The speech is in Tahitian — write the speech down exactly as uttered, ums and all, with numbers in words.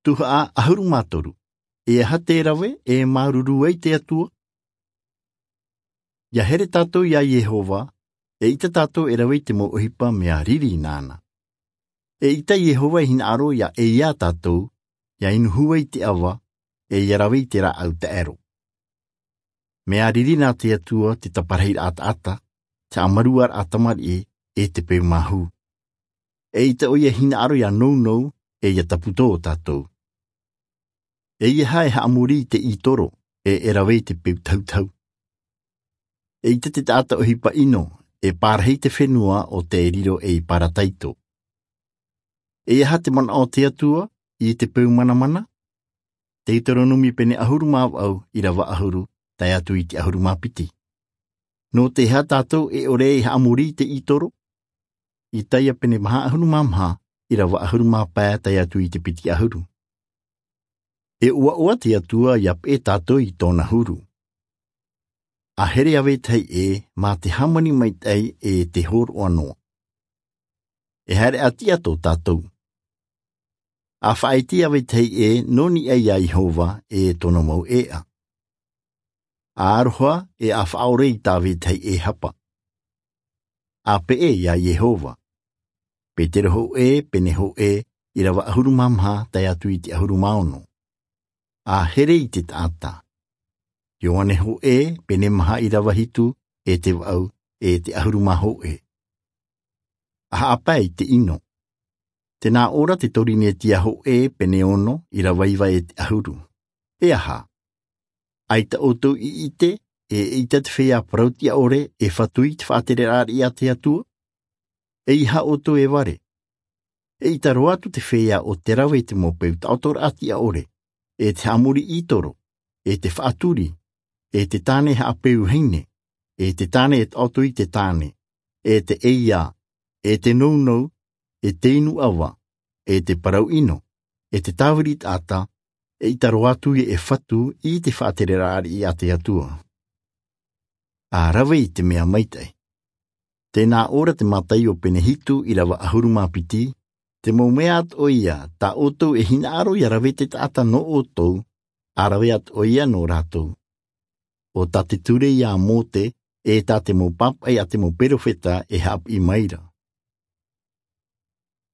Tuhaʻa ʻahuru mā toru. E aha te rave e māuruuru ai te Atua? Ia here tātou iā Iehova, eʻita tātou e rave i te mau ʻohipa mea riri nāna. Eʻita Iehova e hinaʻaro ia ʻē iā tātou, ia inu hua i te ʻava, e ia rave i te rāʻau taʻero. Mea riri nā te Atua te taparahi taʻata, te haʻamāuruururaʻa tamariʻi, e te peu māhu. Eʻita ʻoia e hinaʻaro ia nounou, e ia taputō tātou. E ia haʻamori i te ʻītoro, e e rave i te peu tautau. Eʻita te taʻata ʻohipa ʻino, e pārahi te fenua o te riro ei parataito. E aha te manaʻo o te Atua i te peu manamana? Teuteronome pene ʻahuru mā vaʻu, ʻīrava ʻahuru, tae atu i te ʻahuru mā piti. Nō te aha tātou e ʻore e haʻamori i te ʻītoro? Isaia pene maha ʻahuru mā maha, ʻīrava ʻahuru mā pae tae atu i te piti ʻahuru. E ʻoaʻoa te Atua ia peʻe tātou i tōna huru. A here ʻa vetahi ʻē, mā te hāmani maitaʻi e te hōroʻa noa. E haere ʻati atu tātou. A faʻaʻite ʻa vetahi ʻē, nō niʻa iā Iehova e tōna mau ʻēʻa. A aroha e a faʻaʻore i tā vetahi ʻē hapa. A peʻe iā Iehova. Petero hōʻē, pene hōʻē, ʻīrava ʻahuru mā maha, tae atu i te ʻahuru mā ono. A here i te taʻata. Ioane hōʻē, pene maha ʻīrava hitu, e te vaʻu, e te ʻahuru mā hōʻē. A haʻapae i te ʻino. Tē nā ʻō ra te Torinetia hōʻē, pene ono, ʻīrava iva e te ʻahuru. E aha? ʻAita ʻoutou i ʻite, e ʻeʻita te feiā parau-tiʻa-ʻore, e fatu i te faʻatereraʻa riʻi a te Atua? E aha ʻoutou e vare? Eʻita roa atu te feiā o te rave i te mau peu taʻoto-raʻa-tiʻa-ʻore, e te haʻamori ʻītoro, e te faʻaturi, e te tāne haʻapeu vahine, e te tāne e taʻoto i te tāne, e te ʻeiā, e te nounou, e te inu ʻava, e te parau ʻino, e te tāviri taʻata, eʻita roa atu ia e fatu i te faʻatereraʻa riʻi a te Atua. A rave i te mea maitaʻi. Tē nā ʻō ra te Mataio pene hitu ʻīrava ʻahuru mā piti, te mau mea atoʻa ia, tā ʻoutou e hinaʻaro ia rave te taʻata nō ʻoutou, a rave atoʻa ia nō rātou. ʻO tā te ture ia a Mōte, e tā te mau pāpaʻi a te mau perofeta e haʻapiʻi mai ra.